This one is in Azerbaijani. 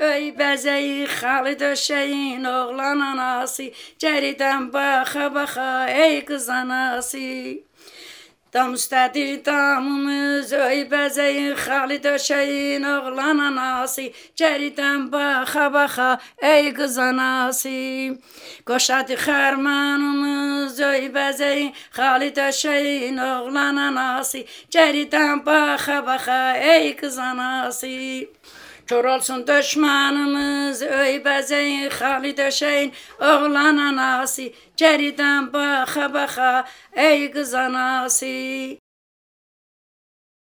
Öy bezeyi halı döşeyin oğlan anası, ceriden baka baka ey kız anası. Dam üstədir damımız, öy bəzəyin, xalı döşəyin, oğlan anası, cəridən baxa baxa, ey qız anası. Qoşadı xərmanımız, öy bəzəyin, xalı döşəyin, oğlan anası, cəridən baxa baxa, ey qız anası. Kör olsun düşmanımız, öy bəzəyin, xalı döşəyin, oğlan anası, cəridən baxa baxa, ey qız anası.